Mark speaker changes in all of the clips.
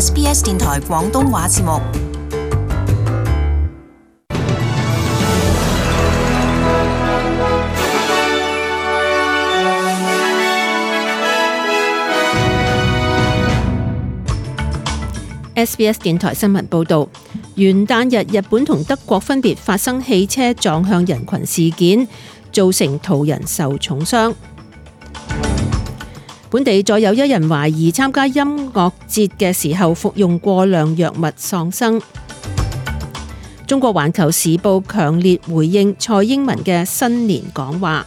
Speaker 1: SBS 電台廣東話節目。
Speaker 2: SBS 電台新聞報導，元旦日日本同德國分別發生汽車撞向人群事件，造成途人受重傷。本地再有一人懷疑參加音樂節嘅時候服用過量藥物喪生。中國環球時報強烈回應蔡英文嘅新年講話。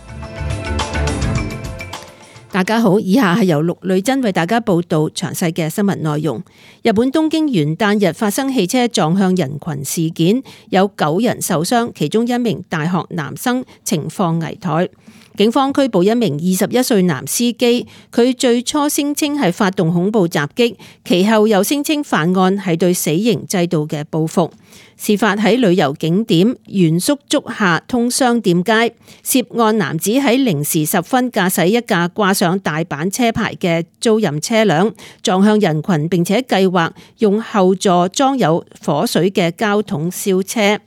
Speaker 2: 大家好，以下係由陸女真為大家報道詳細嘅新聞內容。日本東京元旦日發生汽車撞向人群事件，有9人受傷，其中一名大學男生情況危殆。警方拘捕一名21歲男司機，佢最初聲稱係發動恐怖襲擊，其後又聲稱犯案係對死刑制度嘅報復。事發喺旅遊景點原宿竹下通商店街，涉案男子喺零時10分駕駛一架掛上大阪車牌嘅租賃車輛，撞向人群，並且計劃用後座裝有火水嘅膠桶燒車。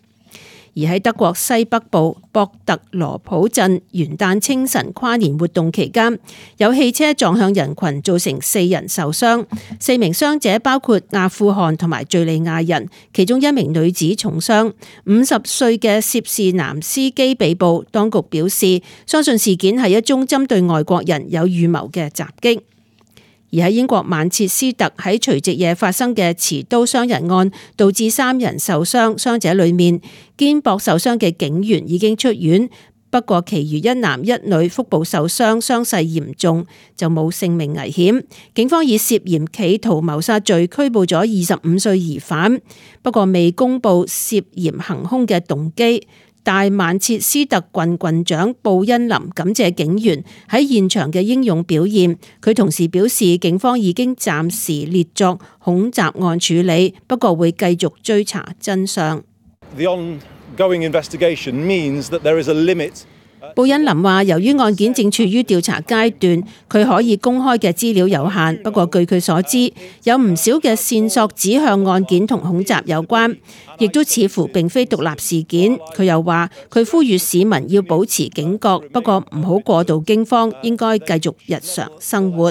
Speaker 2: 而喺德國西北部博特羅普鎮元旦清晨跨年活動期間，有汽車撞向人群，造成4人受傷，4名傷者包括阿富汗同埋敘利亞人，其中一名女子重傷。50歲嘅涉事男司機被捕，當局表示相信事件係一宗針對外國人有預謀嘅襲擊。而喺英國曼徹斯特喺除夕夜發生嘅持刀傷人案，導致3人受傷，傷者裏面肩膊受傷嘅警員已經出院，不過其餘1男1女腹部受傷，傷勢嚴重，就冇性命危險。警方以涉嫌企圖謀殺罪拘捕咗25歲疑犯，不過未公布涉嫌行兇嘅動機。大曼徹斯特郡郡長布恩林感謝警員喺現場嘅英勇表現，佢同時表示警方已經暫時列作恐襲案處理，不過會繼續追查真相。
Speaker 3: The ongoing investigation means that there is a limit.
Speaker 2: 布恩林話，由於案件正處於調查階段，佢可以公開嘅資料有限。不過據佢所知，有唔少嘅線索指向案件同恐襲有關，亦都似乎並非獨立事件。佢又話，佢呼籲市民要保持警覺，不過唔好過度驚慌，應該繼續日常生活。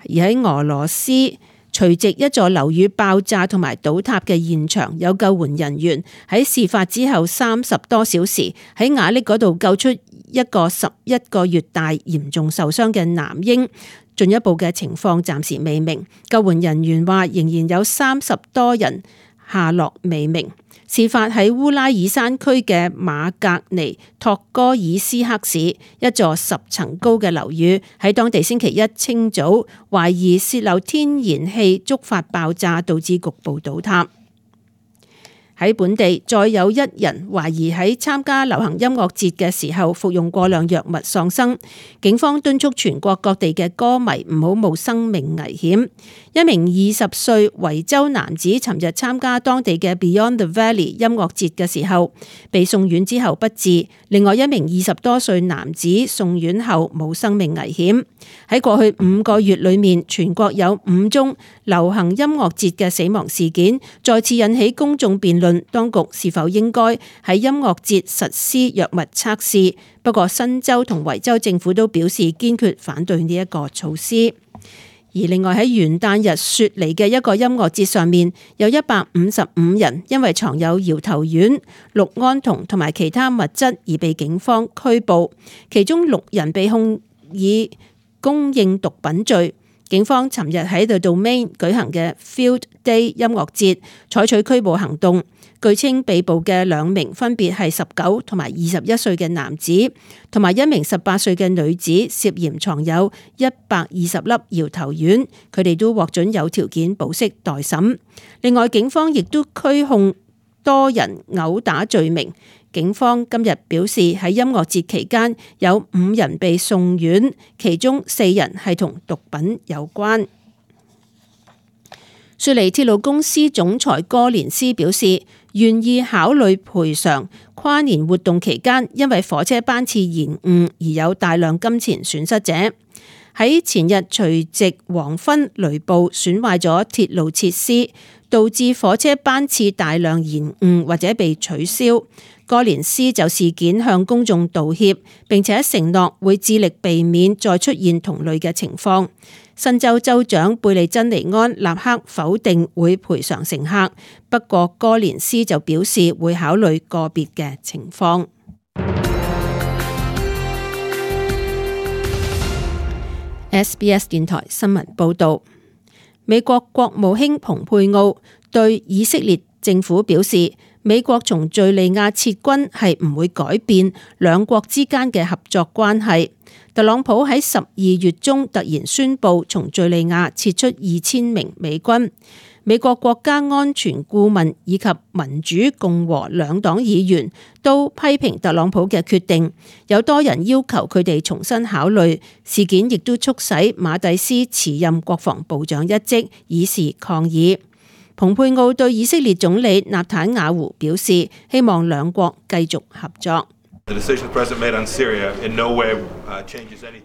Speaker 2: 而喺俄羅斯，除夕一座樓宇爆炸同埋倒塌嘅現場，有救援人員喺事發之後30多小時喺瓦礫嗰度救出一個11個月大嚴重受傷嘅男嬰，進一步嘅情況暫時未明。救援人員話仍然有30多人下落未明。事發喺烏拉爾山區嘅馬格尼托哥爾斯克市，一座10層高嘅樓宇喺當地星期一清早懷疑洩漏天然氣觸發爆炸，導致局部倒塌。喺本地再有1人懷疑喺參加流行音樂節嘅時候服用過量藥物喪生，警方敦促全國各地嘅歌迷唔好冒生命危險。一名20歲維州男子尋日參加當地嘅 Beyond the Valley 音樂節嘅時候被送院之後不治，另外一名20多歲男子送院後冇生命危險。喺過去5個月裏面，全國有5宗流行音樂節嘅死亡事件，再次引起公眾辯論，當局是否應該喺音樂節實施藥物測試。不過新州同維州政府都表示堅決反對呢一個措施。而另外喺元旦日雪梨嘅一個音樂節上面，有155人因為藏有搖頭丸、氯胺酮同埋其他物質而被警方拘捕，其中6人被控以供應毒品罪。警方尋日喺The Domain舉行嘅 Field Day 音樂節採取拘捕行動，據稱被捕嘅2名分別係19同埋21歲嘅男子，同埋1名18歲嘅女子，涉嫌藏有120粒搖頭丸，佢哋都獲准有條件保釋待審。另外，警方亦都拘控多人毆打罪名。警方今日表示喺音樂節期間有5人被送院，其中4人係同毒品有關。雪梨鐵路公司總裁哥連斯表示，願意考慮賠償跨年活動期間因為火車班次延誤而有大量金錢損失者。喺前日除夕黃昏雷暴損壞咗鐵路設施，導致火車班次大量延誤或者被取消。哥連斯就事件向公眾道歉，並且承諾會致力避免再出現同類嘅情況。新州州長貝利珍尼安立刻否定會賠償乘客，不過哥連斯就表示會考慮個別嘅情況。SBS 電台新聞報導，美國國務卿蓬佩奧對以色列政府表示，美國從敘利亞撤軍係唔會改變兩國之間嘅合作關係。特朗普喺12月中突然宣布從敘利亞撤出2000名美軍。美國國家安全顧問以及民主共和兩黨議員都批評特朗普嘅決定，有多人要求佢哋重新考慮。事件亦都促使馬蒂斯辭任國防部長一職，以示抗議。蓬佩奧對以色列總理納坦雅胡表示，希望兩國繼續合作。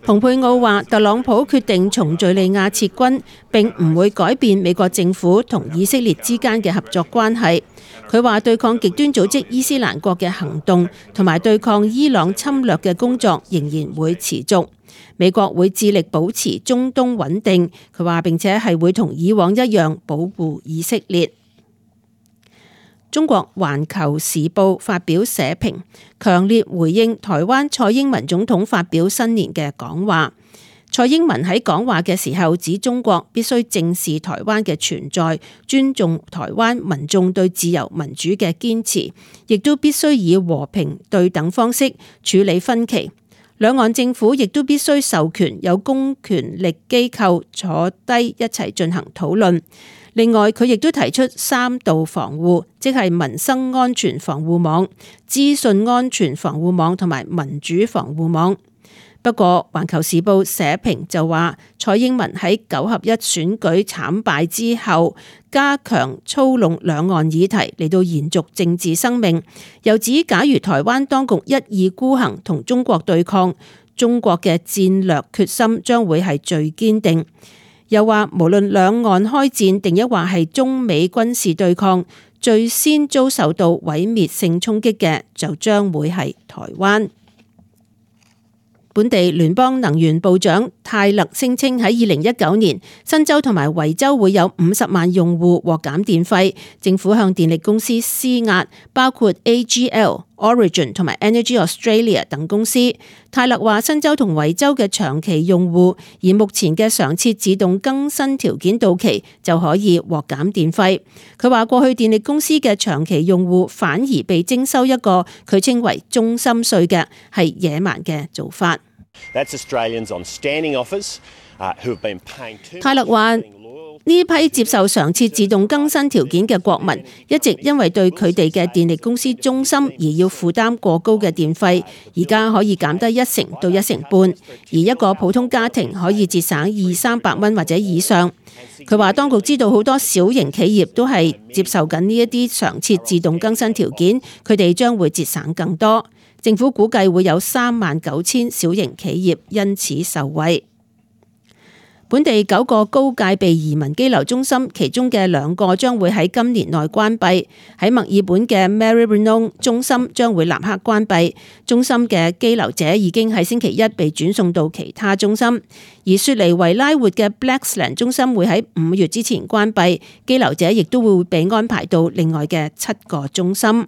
Speaker 2: 蓬佩奧話，特朗普決定從敘利亞撤軍，並唔會改變美國政府同以色列之間嘅合作關係。佢話對抗極端組織伊斯蘭國嘅行動同埋對抗伊朗侵略嘅工作仍然會持續。美國會致力保持中東穩定，佢話並且係會同以往一樣保護以色列。中國環球時報發表社評，強烈回應台灣蔡英文總統發表新年嘅講話。蔡英文喺講話嘅時候指，中國必須正視台灣嘅存在，尊重台灣民眾對自由民主嘅堅持，亦都必須以和平對等方式處理分歧。兩岸政府亦都必須授權有公權力機構坐低一齊進行討論。另外，佢亦都提出3道防護，即係民生安全防護網、資訊安全防護網同埋民主防護網。不過，環球時報社評就話，蔡英文喺9合1選舉慘敗之後，加強操弄兩岸議題嚟到延續政治生命。又指，假如台灣當局一意孤行同中國對抗，中國嘅戰略決心將會係最堅定。又話，無論兩岸開戰定抑或係中美軍事對抗，最先遭受到毀滅性衝擊嘅就將會係台灣。本地聯邦能源部長泰勒聲稱喺2019年，新州同埋維州會有50萬用戶獲減電費。政府向電力公司施壓，包括 AGL、Origin 同埋 Energy Australia 等公司。泰勒話，新州同維州嘅長期用戶，而目前嘅常設自動更新條件到期就可以獲減電費。佢話，過去電力公司嘅長期用戶反而被徵收一個佢稱為中心稅嘅，係野蠻嘅做法。泰勒話，呢批接受常設自動更新條件嘅國民，一直因為對佢哋嘅電力公司忠心而要負擔過高嘅電費，而家可以減低1成到1成半，而一個普通家庭可以節省200-300蚊或者以上。佢話，當局知道好多小型企業都係接受緊呢一啲常設自動更新條件，佢哋將會節省更多。政府估計會有39000小型企業因此受惠。本地9個高戒備移民羈留中心，其中嘅2個將會喺今年內關閉。喺墨爾本嘅 Maribyrnong 中心將會立刻關閉，中心嘅羈留者已經喺星期一被轉送到其他中心。而雪梨維拉活嘅 Blaxland 中心會喺5月之前關閉，羈留者亦都會被安排到另外嘅7個中心。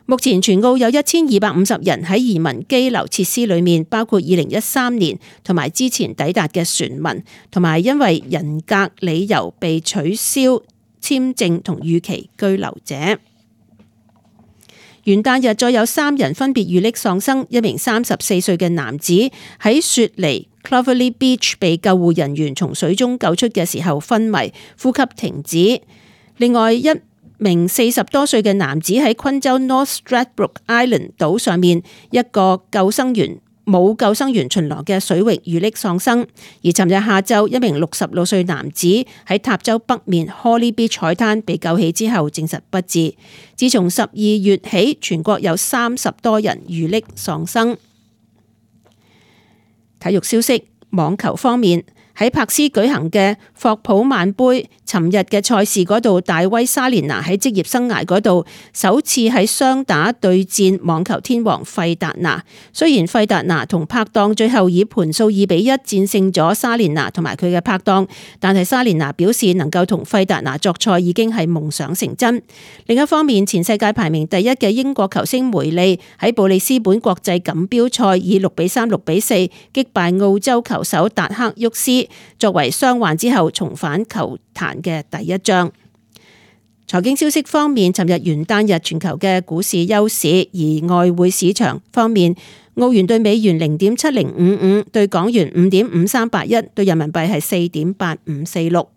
Speaker 2: 目前全澳有1250人喺移民羈留設施裏面，包括2013年同埋之前抵達嘅船民，同埋因為人格理由被取消簽證同預期居留者。元旦日再有3人分別遇溺喪生，一名34歲嘅男子喺雪梨 Clovelly Beach 被救護人員從水中救出嘅時候昏迷，呼吸停止。另外一名40多歲嘅男子喺昆州 North Stradbroke Island 島上面一個冇救生員巡邏嘅水域遇溺喪生。而尋日下晝，一名66歲男子喺塔州北面 Holly Beach 海灘被救起之後證實不治。自從12月起，全國有30多人遇溺喪生。體育消息。網球方面，喺柏斯舉行嘅霍普曼杯，尋日嘅賽事嗰度，大威莎蓮娜喺職業生涯嗰度首次喺雙打對戰網球天王費達拿。雖然費達拿同拍檔最後以盤數2-1戰勝咗莎蓮娜同埋佢嘅拍檔，但係莎蓮娜表示能夠同費達拿作賽已經係夢想成真。另一方面，前世界排名第1嘅英國球星梅利喺布里斯本國際錦標賽以6-3、6-4擊敗澳洲球手達克沃斯，作為傷患之後重返球壇嘅第一仗。財經消息方面，尋日元旦日全球嘅股市休市，而外匯市場方面，澳元對美元0.7055，對港元5.5381，對人民幣係4.8546。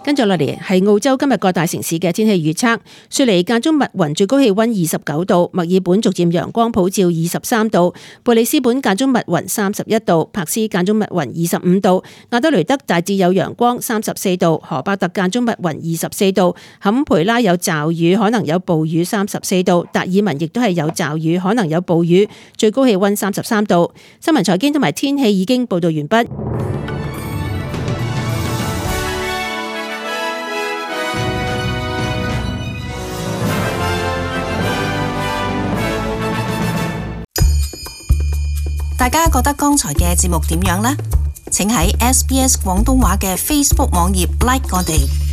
Speaker 2: 跟住落嚟係澳洲今日各大城市嘅天氣預測。雪梨間中密雲，最高氣溫29度；墨爾本逐漸陽光普照23度；貝里斯本間中密雲31度；珀斯間中密雲25度；亞德雷德大致有陽光34度；荷巴特間中密雲24度；坎培拉有驟雨，可能有暴雨34度；達爾文亦都係有驟雨，可能有暴雨，最高氣溫33度。新聞財經同埋天氣已經報道完畢。
Speaker 1: 大家覺得剛才嘅節目點樣呢？請喺SBS 廣東話嘅 Facebook 網頁 like 我哋。